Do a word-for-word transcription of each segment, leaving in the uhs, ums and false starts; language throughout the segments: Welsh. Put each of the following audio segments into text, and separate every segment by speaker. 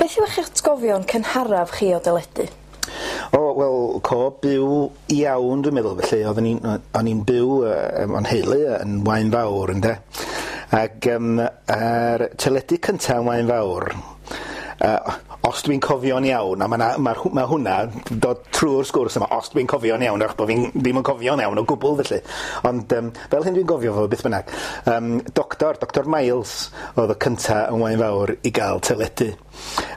Speaker 1: Beth yw eich atgofion cynharaf chi o deledu?
Speaker 2: O, wel, co byw iawn, dwi'n meddwl, felly. Oedden ni'n o'n i'n byw efo'n nheulu yn Waun Fawr, ynde. Ac um, yr teledu cyntaf yn Waun Fawr, uh, os dwi'n cofio'n iawn, a mae ma, ma hwnna dod trwy'r sgwrs yma, os dwi'n cofio'n iawn, achos bod fi'n ddim yn cofio'n iawn o gwbl felly. Ond um, fel hyn dwi'n gofio fo, beth bynnag, um, doctor, Doctor Miles oedd y cynta yn Waun Fawr i gael teledu.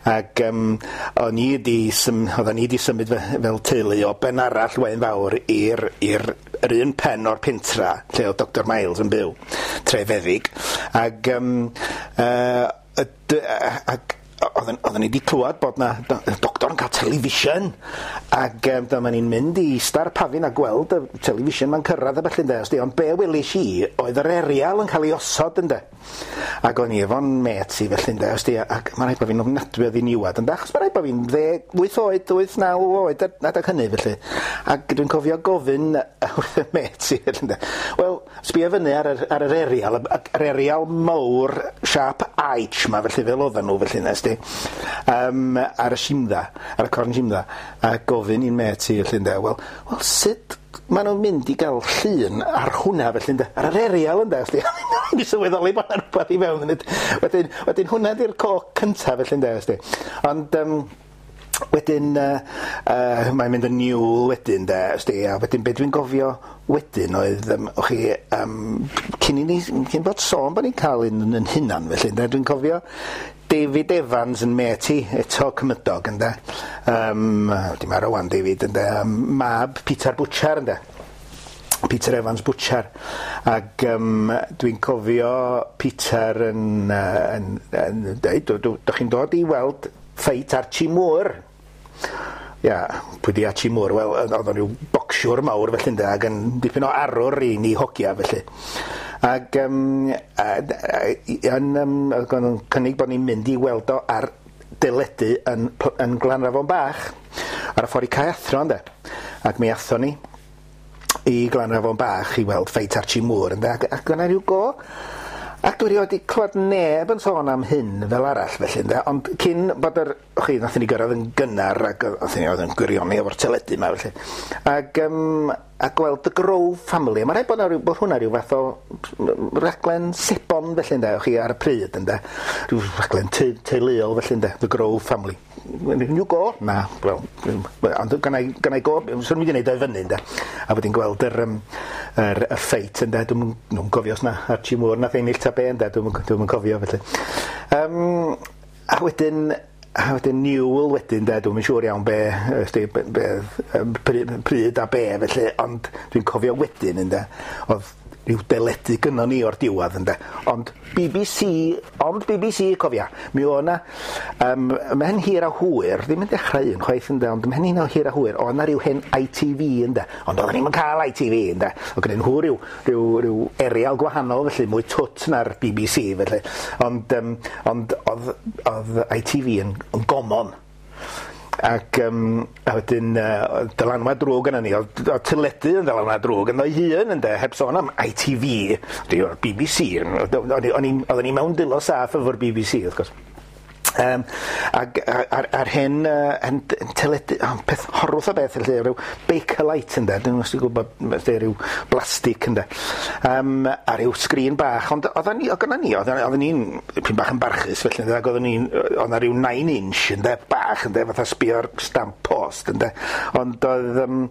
Speaker 2: Ac um, o'n i 'di sym, oedden ni 'di symud fe, fel teulu o ben arall Waun Fawr i'r i'r yr un pen o'r pentra lle oedd Doctor Miles yn byw, Trefeddig. Ac, um, uh, ac oedden, oedden ni wedi clywed bod na doctor yn cael television, ac um, dyma ni'n mynd i ista ar pafin a gweld y television ma'n cyrraedd a felly, ynde, os di, ond be welis i oedd yr erial yn cael ei osod, ynde, ac o'n i efo'n mêt i felly, ynde, os di, ac mae'n rhaid bod fi'n ofnadwy o ddiniwad, ynde, achos mae'n rhaid bod fi'n ddeg wyth oed, wyth, naw oed adeg hynny felly, ac dwi'n cofio gofyn wrth y mêt i felly, ynde, wel, sbio fyny ar yr, ar yr erial, yr erial mawr siâp H ma felly, fel oedden nhw felly, nes di, um, ar y simdda, ar y corn simdda, a gofyn i'n mêt i felly, ynde, wel, wel sut maen nhw'n mynd i gael llun ar hwnna felly, ynde, ar yr erial, ynde, os di, i sylweddoli bod yna rhywbeth i fewn yn it. Wedyn, wedyn hwnna di'r co cyntaf felly, ynde, os di. Ond, um, wedyn, uh, uh, mae'n mynd yn niwl wedyn, de, os di, a wedyn be dwi'n gofio wedyn oedd, um, o'ch chi, um, cyn i ni, cyn bod sôn bod ni'n cael un yn hunan felly, ynde, dwi'n cofio David Evans yn mêt i, eto cymydog, ynde. Um, di marw wan David, ynde, um, mab Peter Butcher, ynde. Peter Evans Butcher. Ac um, dwi'n cofio Peter yn, uh, yn, yn, yn dweud, "Dych chi'n dod i weld ffeit Archie Moore?" Ia, pwy di Archie Moore? Wel, oedd o'n rhyw bocsiwr mawr felly, ynde, ac yn dipyn o arwr i ni hogia felly. Ac um, yn, um, oedd nhw'n cynnig bod ni'n mynd i weld o ar deledu yn, yn Glanrafon Bach ar y ffordd i Caeathro, ynde. Ac mi athon ni i Glanrafon Bach i weld ffeit Archie Moore, ynde, ac, ac yna rhyw go. Ac dwi erioed wedi clywed neb yn sôn am hyn fel arall felly, ynde, ond cyn bod yr, chi, nathon ni gyrraedd yn gynnar ac oedd ni oedd yn gwirioni efo'r teledu yma felly. Ac, um, a gweld The Grove Family, mae'n rhaid bod, 'na ryw, bod hwnna rhyw fath o raglen sebon felly, ynde, chi ar y pryd, ynde, rhyw raglen te teuluol felly, ynde, The Grove Family. New go? Na, wel, ond gynna i, gynna i go, swn i'n mynd i wneud o i fyny, ynde. A wedyn gweld yr, um, yr, y ffeit, ynde, dwi'n dwi'n cofio os na Archie Moore nath ennill ta be, ynde, dwi'n dwi'n cofio felly. Um, a wedyn, a wedyn niwl wedyn, de, dwi'm yn siŵr iawn be, ysdi, be, be, yym, pryd, pryd a be felly, ond dwi'n cofio wedyn, ynde, oedd rhyw deledu gynnon ni o'r diwedd, ynde, ond B B C, ond B B C, cofia, mi oedd 'na, um, ymhen hir a hwyr, ddim yn dechrau un chwaith, ynde, ond ymhen hir a hir a hwyr, oedd 'na ryw hen I T V, ynde, ond oedden ni'm yn cael I T V, ynde, oedd gynnyn nhw ryw, ryw, ryw erial gwahanol felly, mwy twt na'r B B C felly, ond, um, ond oedd, oedd I T V yn, yn gomon. Ac um, a wedyn uh, dylanwad drwg yna ni, oedd oedd teledu yn dylanwad drwg ynddo'i hun, ynde, heb sôn am I T V, di o'r B B C, o'n i- o'n i'n oedden ni mewn dwylo saff efo'r B B C, wrth gwrs. Um, ac ar, ar hen, uh, hen teledu, oh, peth horwth o beth, felly, rhyw Bakelite, ynde, dwi'n os ti'n gwybod, felly, rhyw blastig, ynde, um, a rhyw sgrin bach, ond oedden ni, oedd gynna ni, oedden oedden ni'n pyn bach yn barchus, felly, ynde, ac oedden ni'n, oedd 'na ryw nine inch, ynde, bach, ynde, fatha sbio'r stamp post, ynde, ond oedd, um,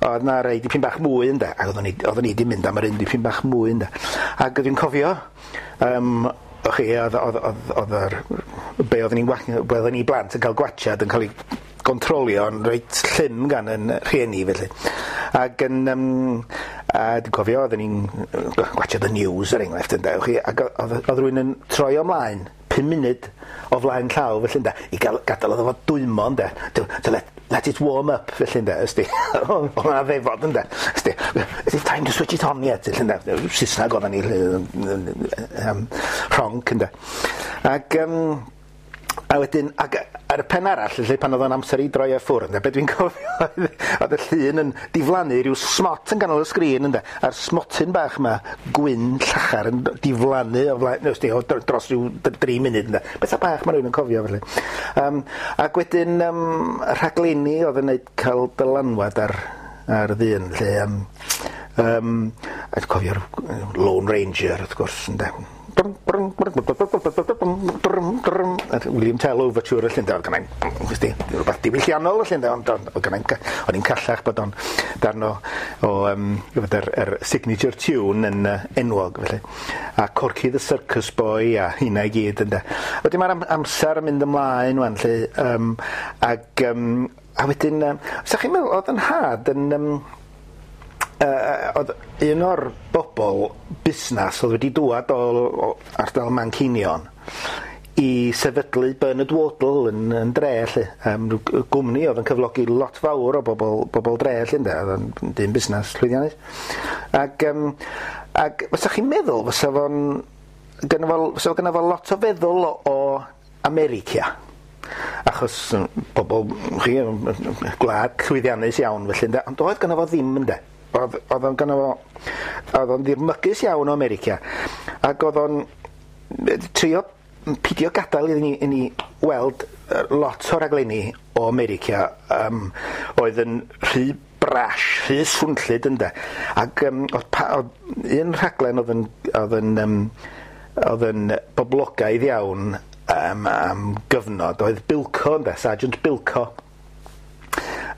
Speaker 2: oedd 'na rei dipyn bach mwy, ynde, ac oedden ni, oedden ni 'di mynd am yr un dipyn bach mwy, ynde, ac dwi'n cofio, um, o'ch chi, oedd, oedd, oedd, oedd yr, be oedden ni'n wa- be oedden ni blant yn cael gwatsiad yn cael ei gontrolio yn reit llym gan yn rhieni felly. Ac yn, um, a dwi'n cofio oedden ni'n gwatsiad y news er enghraifft, ynde, chi, ac oedd, oedd rhywun yn troi ymlaen pum munud o flaen llaw felly, ynde, i gael gadael iddo fo dwymo, ynde, to, to let, let it warm up felly, ynde, ysdi. Oedd 'na ddefod, ynde, ysdi. "Is it time to switch it on yet?" Felly, ynde, Saesneg oedden ni, um, rhonc, ynde. Ac, um, A wedyn, ac ar y pen arall, felly, pan oedd o'n amser i droi o ffwrdd, ynde, be dwi'n cofio oedd, oedd y llun yn diflannu rhyw smot yn ganol y sgrin, ynde, a'r smotyn bach yma, gwyn llachar yn diflannu o flaen, no, sti, o dr- dros rhyw d- dri munud, ynde. Bethau bach mae rhywun yn cofio, felly. Um, ac wedyn, um, rhaglenni oedd yn neud cael dylanwad ar, ar ddyn, felly, um, um, a dwi'n cofio'r Lone Ranger, wrth gwrs, ynde. William Tell Overture felly ynde, oedd gennai'n, wsti, rhywbeth diwylliannol felly ynde, ond ond oedd gennai'n, o'n i'n callach bod o'n darn o, o um, yr, yr signature tune yn uh, enwog felly. A Corky the Circus Boy a hynna i gyd ynde. Wedyn mae'r am, amser yn mynd ymlaen wan lle, um, ag, um, a wedyn, um, sa chi'n meddwl, oedd yn nhad yn, um, uh, oedd un o'r bobl busnes oedd wedi dŵad o, o ardal Manceinion i sefydlu Bernard Wardle yn, yn dre lle. Um, rhyw gwmni oedd yn cyflogi lot fawr o bobl, bobl dre lle ynde, oedd yn dyn busnes llwyddiannus. Ac, um, ac fysa chi'n meddwl fysa fo'n gynno fo, fysa fo gynno fo lot o feddwl o, o America. Achos mm, pobl, chi, mm, gwlad llwyddiannus iawn felly ynde, ond oedd gynno fo ddim ynde. Oedd, oedd o'n gynno fo, oedd o'n ddirmygus iawn o America. Ac oedd o'n trio pidio gadael i ni, i ni weld yy, lot o raglenni o America um, oedd yn rhy brash, rhy swnllyd ynde. Ac um, oedd, pa, oedd un rhaglen oedd yn, oedd yn, um, oedd yn boblogaidd iawn um, am gyfnod oedd Bilko ynde, Sergeant Bilko.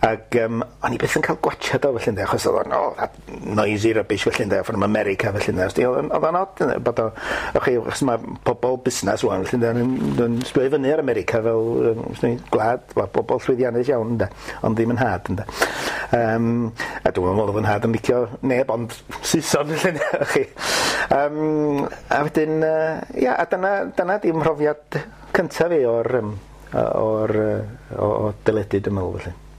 Speaker 2: Ac um, o'n i byth yn cael gwatchad o felly ynde, achos oedd o'n, oh, that noisy rubbish felly ynde, from America felly ynde. Oedd o'n oedd o'n od ynde, bod o, o'ch chi, achos mae pobl busnes wan felly ynde, yn, yn sbio i fyny ar America fel, yym, swn i'n gwlad, wel, bobl llwyddiannus iawn ynde, ond ddim yn nhad ynde. Um, a dwi'n meddwl oedd yn nhad yn licio neb ond Saeson felly ynde, o'ch chi. Um, a wedyn, uh, ia, a dyna, dyna di mhrofiad cyntaf fi o'r, um, o'r, yy, o, o deledu, dwi'n meddwl felly.